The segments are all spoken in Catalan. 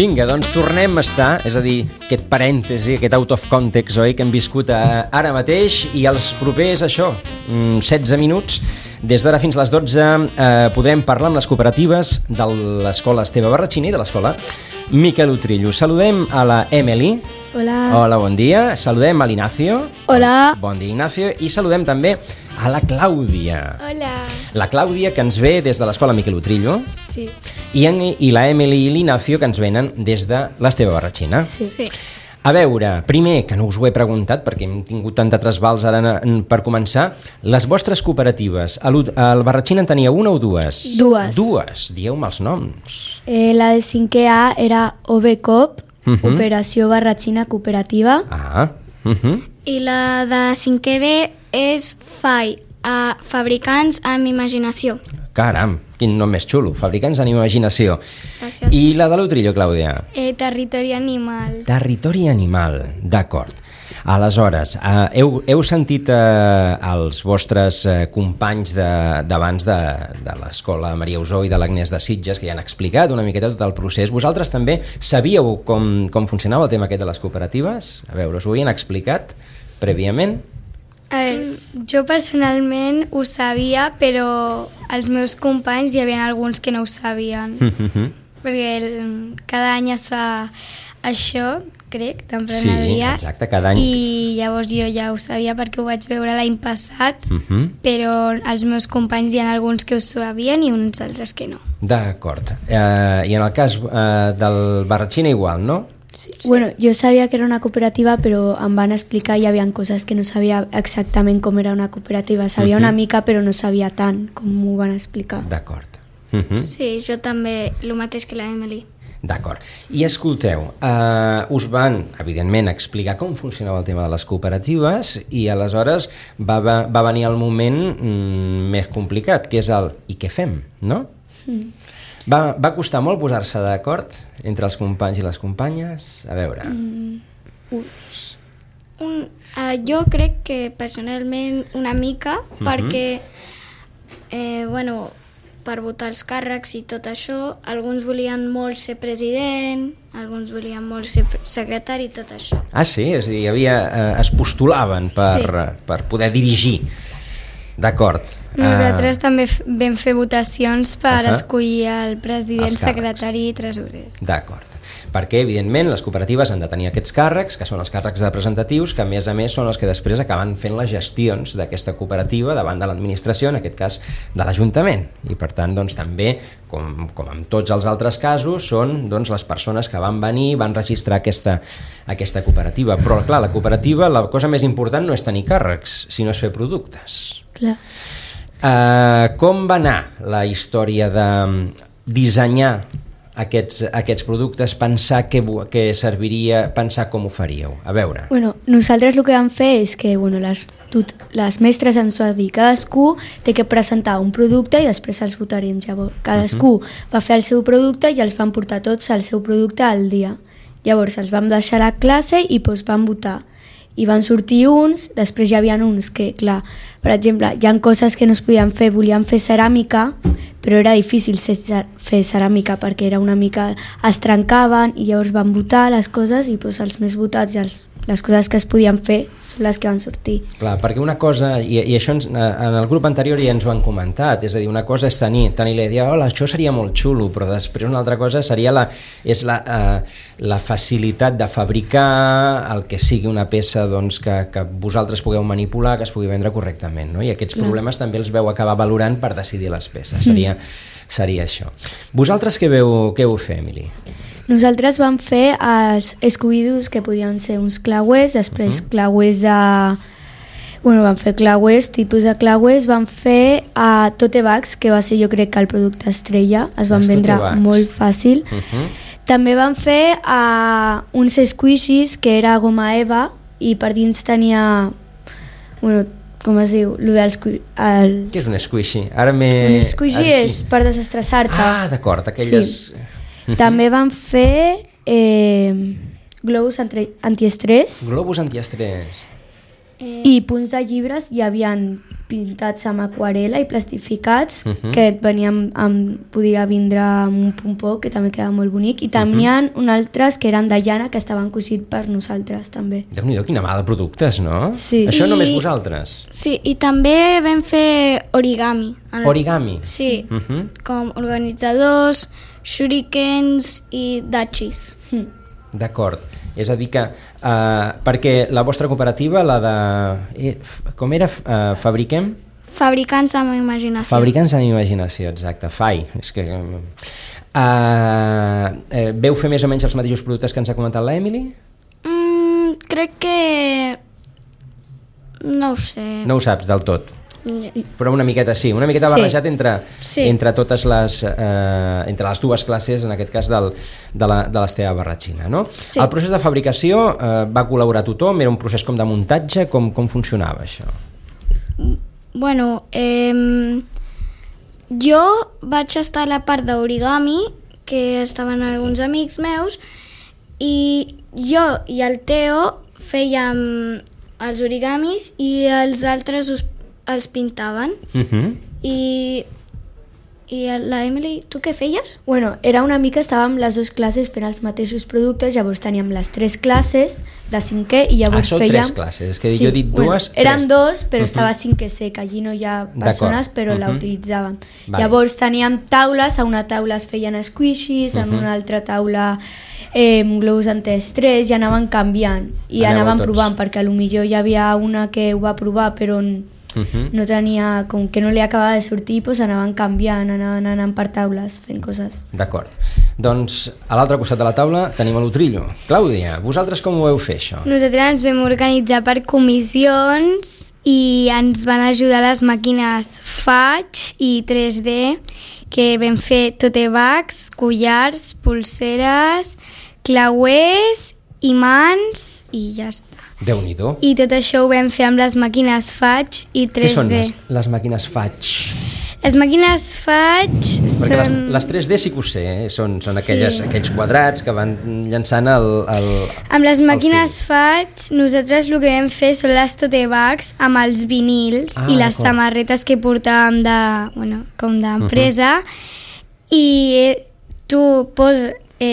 Vinga, doncs tornem a estar, és a dir, aquest parèntesi, aquest out of context, oi, que hem viscut ara mateix, i els propers, 16 minuts, des d'ara fins a les 12, podrem parlar amb les cooperatives de l'escola Esteve Barratxina i de l'escola Miquel Utrillo. Saludem a la Emily. Hola. Hola, bon dia. Saludem a l'Ignacio. Hola. Bon dia, Ignacio. I saludem també a la Clàudia. Hola. La Clàudia, que ens ve des de l'escola Miquel Utrillo. Sí. I la Emily i l'Ignacio, que ens venen des de l'Esteve Barratxina. Sí. A veure, primer, que no us ho he preguntat perquè hem tingut tanta trasbals ara per començar, les vostres cooperatives, al Barratxina en tenia una o dues? Dues. Dieu-me els noms. La de 5è A era OBCOP, Operació Barratxina Cooperativa. I la de 5è B és FAI, Fabricants amb Imaginació. Caram, quin nom més xulo, Fabricants amb Imaginació. Gràcies. I la de l'Utrillo, Clàudia? Territori Animal. Territori Animal, d'acord. Aleshores, heu sentit els vostres companys d'abans de l'escola Maria Usó i de l'Agnès de Sitges, que ja han explicat una miqueta tot el procés. Vosaltres també sabíeu com funcionava el tema aquest de les cooperatives? A veure, us ho havien explicat prèviament? A veure, jo personalment ho sabia, però els meus companys hi havia alguns que no ho sabien. Perquè cada any es fa això, crec, d'emprenedoria. Sí, exacte, cada any. I llavors jo ja ho sabia perquè ho vaig veure l'any passat, però els meus companys hi ha alguns que ho sabien i uns altres que no. D'acord. I en el cas del Barratxina igual, no? Sí. Bueno, jo sabia que era una cooperativa, però em van explicar i hi havia coses que no sabia exactament com era una cooperativa. Sabia una mica, però no sabia tant com m'ho van explicar. D'acord. Sí, jo també, el mateix que la Emily. D'acord. I escolteu, us van, evidentment, explicar com funcionava el tema de les cooperatives i aleshores va venir el moment més complicat, que és el i què fem, no? Va costar molt posar-se d'acord entre els companys i les companyes? A veure... Jo crec que personalment una mica, perquè per votar els càrrecs i tot això, alguns volien molt ser president, alguns volien molt ser secretari i tot això. Ah, sí? És a dir, es postulaven per poder dirigir. D'acord. Nosaltres també vam fer votacions per escollir el president, secretari i tresorers. D'acord. Perquè, evidentment, les cooperatives han de tenir aquests càrrecs, que són els càrrecs representatius, que a més són els que després acaben fent les gestions d'aquesta cooperativa davant de l'administració, en aquest cas de l'Ajuntament. I per tant, doncs, també, com en tots els altres casos, són les persones que van venir, van registrar aquesta cooperativa. Però, clar, la cooperativa, la cosa més important no és tenir càrrecs, sinó és fer productes. Clar. Com va anar la història de dissenyar aquests productes, pensar què serviria, pensar com ho faríeu? A veure. Bueno, nosaltres el que vam fer és que les mestres ens van dir cadascú té que presentar un producte i després els votarem. Llavors, cadascú va fer el seu producte i els van portar tots el seu producte al dia. Llavors els vam deixar a classe i van votar. I van sortir uns, després hi havia uns que, clar, per exemple, hi ha coses que no es podien fer, volien fer ceràmica, però era difícil fer ceràmica perquè era una mica... es trencaven i llavors van votar les coses i els més votats i les coses que es podien fer són les que van sortir. Clar, perquè una cosa, i això en el grup anterior ja ens ho han comentat, és a dir, una cosa és tenir la idea, hola, això seria molt xulo, però després una altra cosa seria la facilitat de fabricar el que sigui una peça que vosaltres pugueu manipular, que es pugui vendre correctament, no? I aquests problemes també els veu acabar valorant per decidir les peces, seria això. Vosaltres què veu fer, Emily? Nosaltres vam fer els escobillos que podien ser uns clauers, després clauers de... Bueno, vam fer clauers, tipus de clauers, vam fer tote bags, que va ser jo crec que el producte estrella, es van vendre molt fàcil. També vam fer uns squishies, que era goma eva, i per dins tenia... Bueno, com es diu? Què és un squishy? Un squishy és per desestressar-te. Ah, d'acord, aquelles... Sí. També van fer globus antiestrès. Globus antiestrès. I punts de llibres hi havien pintats amb aquarela i plastificats que podia vindre amb un pompó que també quedava molt bonic, i també hi ha altres que eren de llana que estaven cosits per nosaltres també. Déu-n'hi-do, quina mà de productes, no? Sí. Això només vosaltres? Sí, i també vam fer origami. Origami? Sí, com organitzadors, shurikens i dachis. D'acord, és a dir que perquè la vostra cooperativa, la de... com era? Fabriquem? Fabricants amb imaginació. Fabricants amb imaginació, exacte, FAI. És que, veu fer més o menys els mateixos productes que ens ha comentat la Emily? Crec que... no ho sé. No ho saps del tot? Però una miqueta sí, una miqueta barrejat entre totes les entre les dues classes, en aquest cas de l'Esteve Barratxina, no? Sí. El procés de fabricació va col·laborar tothom, era un procés com de muntatge, com funcionava això? Bueno, jo vaig estar a la part d'origami, que estaven alguns amics meus, i jo i el Teo fèiem els origamis i els altres els pintaven. I la Emily, tu què feies? Bueno, era una mica, estàvem les dues classes fent els mateixos productes, llavors teníem les 3 classes de 5è i llavors són fèiem... 3 classes, és que jo he dit dues... Eren 2, però estava 5è C, que allí no hi ha persones, però la utilitzàvem. Llavors teníem taules, a una taula es feien squishies, en una altra taula globus antiestrès, i anaven canviant, i anaven provant, perquè potser hi havia una que ho va provar, però no tenia, com que no li acabava de sortir, doncs anaven canviant, anaven anant per taules fent coses. D'acord, doncs a l'altre costat de la taula tenim l'Utrillo. Clàudia, vosaltres com ho vau fer això? Nosaltres ens vam organitzar per comissions i ens van ajudar les màquines Faig i 3D, que vam fer tote bags, collars, pulseres, clauers, imants i ja està. Déu-n'hi-do. I tot això ho vam fer amb les màquines Faig i 3D. Què són les màquines Faig? Les màquines Faig perquè són... les 3D sí que ho sé, són aquells quadrats que van llançant el amb les màquines Faig nosaltres el que vam fer són les tote bags amb els vinils i les samarretes que portàvem com d'empresa, i tu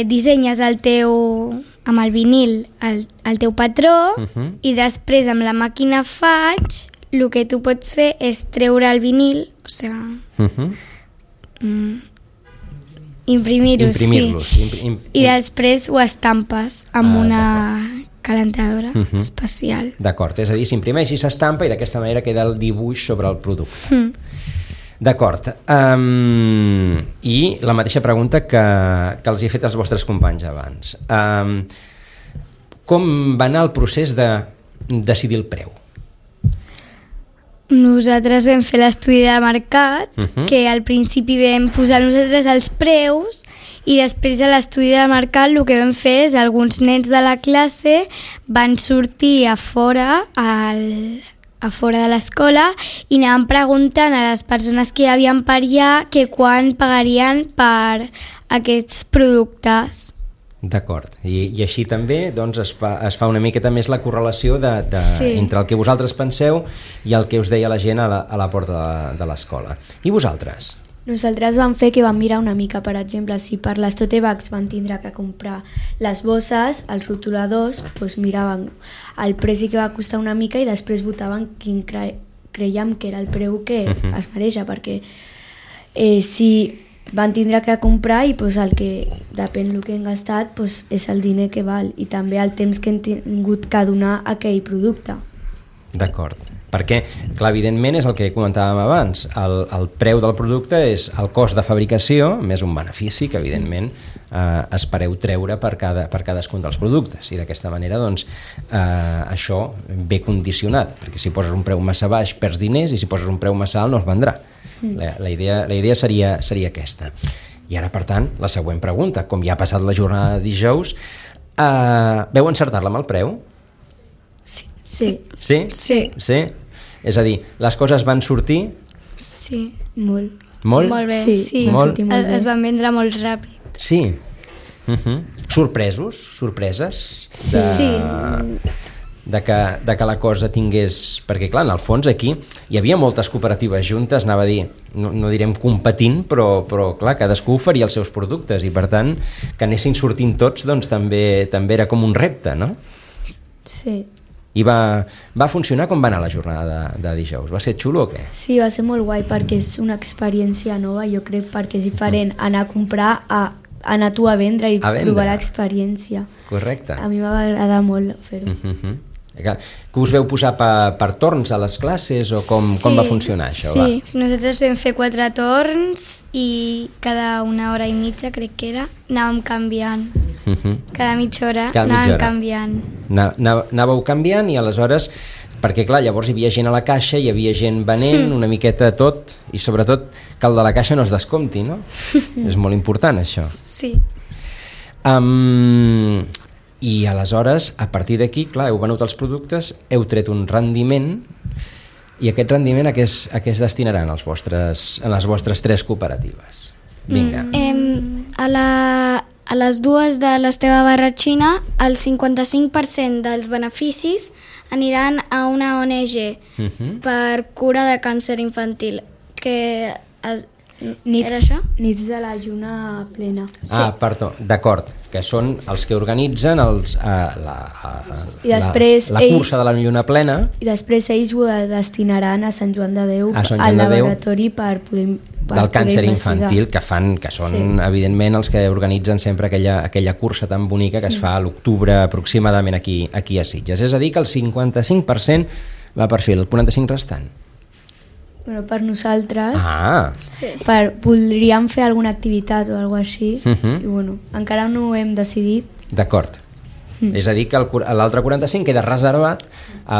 dissenyes el teu... amb el vinil el teu patró, i després amb la màquina Faig el que tu pots fer és treure el vinil, o sigui, imprimir-los, i després ho estampes amb una calentadora especial. D'acord, és a dir, s'imprimeix i s'estampa i d'aquesta manera queda el dibuix sobre el producte. D'acord. I la mateixa pregunta que els he fet als vostres companys abans. Com va anar el procés de decidir el preu? Nosaltres vam fer l'estudi de mercat, que al principi vam posar nosaltres els preus, i després de l'estudi de mercat el que vam fer és alguns nens de la classe van sortir a fora de l'escola i anaven preguntant a les persones que hi havien per allà que quan pagarien per aquests productes. D'acord, i així també doncs, es fa una miqueta més la correlació entre el que vosaltres penseu i el que us deia la gent a la porta de l'escola. I vosaltres? Nosaltres vam fer que vam mirar una mica, per exemple, si per les tote bags van tindre que comprar les bosses, els rotuladors, doncs miraven el preu que va costar una mica i després votaven quin creiem que era el preu que es mereix, perquè si van tindre que comprar i doncs el que depèn del que hem gastat doncs és el diner que val i també el temps que hem tingut que donar a aquell producte. D'acord, perquè clar, evidentment és el que comentàvem abans, el preu del producte és el cost de fabricació més un benefici que evidentment espereu treure per cadascun dels productes, i d'aquesta manera doncs això ve condicionat, perquè si poses un preu massa baix perds diners i si poses un preu massa alt no es vendrà. La idea seria aquesta. I ara, per tant, la següent pregunta, com ja ha passat la jornada de dijous, veu encertar-la amb el preu? Sí. Sí? Sí? És a dir, les coses van sortir? Sí. Molt? Molt bé, sí. Molt? Es van vendre molt ràpid. Sí. Sorpreses? Sí. de que la cosa tingués... Perquè, clar, en el fons aquí hi havia moltes cooperatives juntes, anava a dir, no direm competint, però clar, cadascú oferia els seus productes i, per tant, que anessin sortint tots, doncs també era com un repte, no? Sí. I va funcionar? Com va anar la jornada de dijous? Va ser xulo o què? Sí, va ser molt guai perquè és una experiència nova, jo crec, perquè és diferent anar a comprar a anar tu a vendre i provar l'experiència. Correcte. A mi va agradar molt fer-ho. Que us veu posar per torns a les classes o com va funcionar això? Sí, nosaltres vam fer 4 torns i cada 1 hora i mitja, crec que era, anàvem canviant. Cada mitja hora anàvem canviant. Anàveu canviant i aleshores, perquè clar, llavors hi havia gent a la caixa, hi havia gent venent, una miqueta tot, i sobretot que el de la caixa no es descompti, no? És molt important això. Sí. I aleshores, a partir d'aquí, clar, heu venut els productes, heu tret un rendiment, i aquest rendiment a què es destinaran en les vostres 3 cooperatives? Vinga. A les dues de l'Esteve Barratxina, el 55% dels beneficis aniran a una ONG per cura de càncer infantil, que era això? Nits de la lluna plena. Perdó, d'acord, que són els que organitzen la cursa de la lluna plena. I després ells ho destinaran a Sant Joan de Déu, al laboratori per poder del càncer infantil, que són evidentment els que organitzen sempre aquella cursa tan bonica que es fa a l'octubre aproximadament aquí a Sitges. És a dir, que el 55% va per fer el 45% restant. Bueno, per nosaltres voldríem fer alguna activitat o alguna cosa així i bueno, encara no ho hem decidit. D'acord. És a dir, que l'altre 45 queda reservat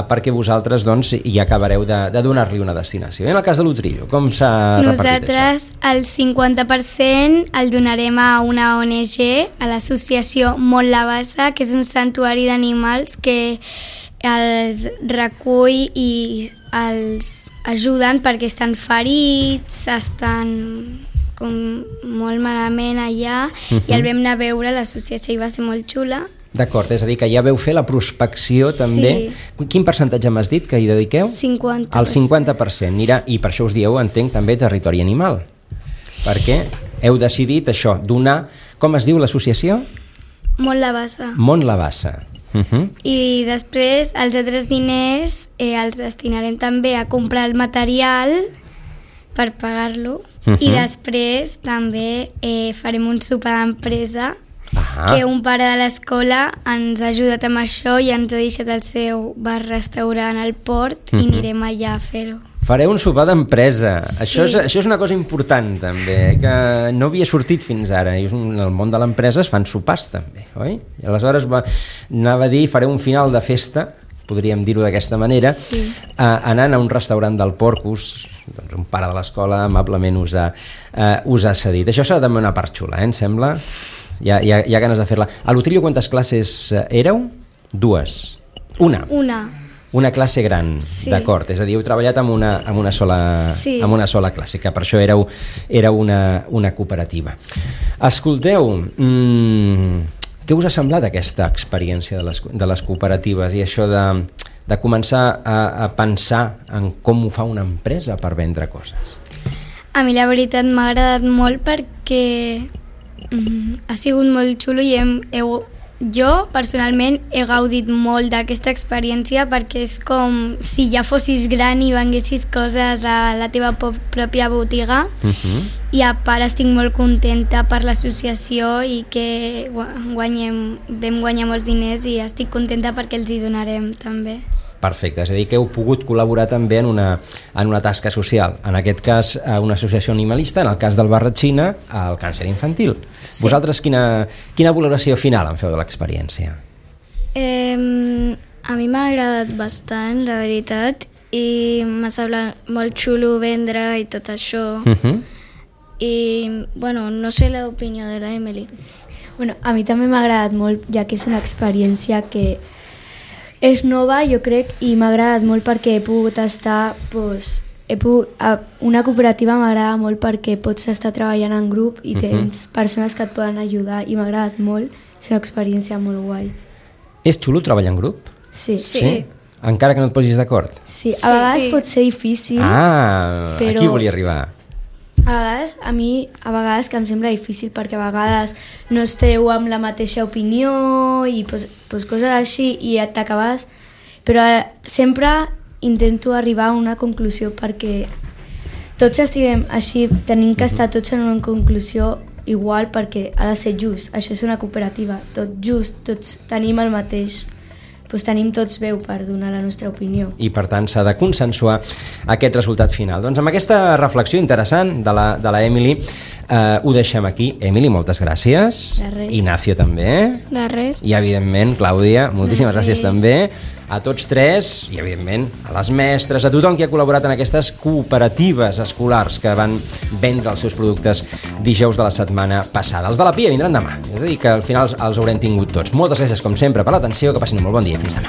perquè vosaltres doncs, hi acabareu de donar-li una destinació. I en el cas de l'Utrillo, com s'ha repartit Nosaltres el 50% el donarem a una ONG, a l'associació Mont la Bassa, que és un santuari d'animals que els recull i els ajuden perquè estan ferits, estan com molt malament allà i el vam anar a veure, l'associació i va ser molt xula. D'acord, és a dir, que ja veu fer la prospecció també. Quin percentatge m'has dit que hi dediqueu? 50%. El 50%. Mira, i per això us dieu, entenc, també territori animal. Perquè heu decidit això, donar... Com es diu l'associació? Mont la Bassa. Mont la Bassa. I després els altres diners els destinarem també a comprar el material per pagar-lo i després també farem un sopar d'empresa que un pare de l'escola ens ha ajudat amb això i ens ha deixat el seu bar-restaurant al port i anirem allà a fer-ho. Fareu un sopar d'empresa. Això és una cosa important també, que no havia sortit fins ara. I en el món de l'empresa es fan sopars també, oi? I aleshores anava a dir, fareu un final de festa, podríem dir-ho d'aquesta manera, anant a un restaurant del Porcus, doncs un pare de l'escola amablement us ha cedit. Això serà també una part xula, em sembla? Hi ha ganes de fer-la. A l'Utrillo quantes classes éreu? 2. Una classe gran, d'acord. És a dir, heu treballat amb una sola classe, que per això era una cooperativa. Escolteu, què us ha semblat aquesta experiència de les cooperatives i això de començar a pensar en com ho fa una empresa per vendre coses? A mi la veritat m'ha agradat molt perquè ha sigut molt xulo i jo personalment he gaudit molt d'aquesta experiència perquè és com si ja fossis gran i venguessis coses a la teva pròpia botiga i a part estic molt contenta per l'associació i que vam guanyar molts diners i estic contenta perquè els hi donarem també. Perfecte, és a dir que heu pogut col·laborar també en una tasca social, en aquest cas a una associació animalista, en el cas del Barratxina al càncer infantil. Vosaltres quina valoració final en feu de l'experiència? A mi m'ha agradat bastant, la veritat, i m'ha semblat molt xulo vendre i tot això. I, bueno, no sé l'opinió de la Emily. Bueno, a mi també m'ha agradat molt, ja que és una experiència que és nova, jo crec, i m'ha agradat molt perquè he pogut estar... Una cooperativa m'agrada molt perquè pots estar treballant en grup i tens persones que et poden ajudar i m'ha agradat molt, és una experiència molt guai. És xulo treballar en grup? Sí. Sí. Encara que no et posis d'acord? Sí, a vegades pot ser difícil. Però... aquí volia arribar. A mi a vegades que em sembla difícil perquè a vegades no esteu amb la mateixa opinió i pues, coses així i t'acabes... Però sempre intento arribar a una conclusió perquè tots estiguem així, tenim que estar tots en una conclusió igual perquè ha de ser just. Això és una cooperativa, tot just, tots tenim el mateix. Doncs tenim tots veu per donar la nostra opinió. I per tant s'ha de consensuar aquest resultat final. Doncs amb aquesta reflexió interessant de la Emily ho deixem aquí. Emily, moltes gràcies. De res. Ignacio també. De res. I evidentment, Clàudia, moltíssimes gràcies també. A tots tres i evidentment a les mestres, a tothom que ha col·laborat en aquestes cooperatives escolars que van vendre els seus productes dijous de la setmana passada. Els de la Pia vindran demà, és a dir que al final els haurem tingut tots. Moltes gràcies com sempre per l'atenció, que passin un molt bon dia. Fins demà.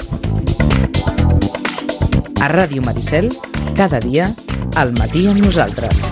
A Ràdio Maricel, cada dia, al matí amb nosaltres.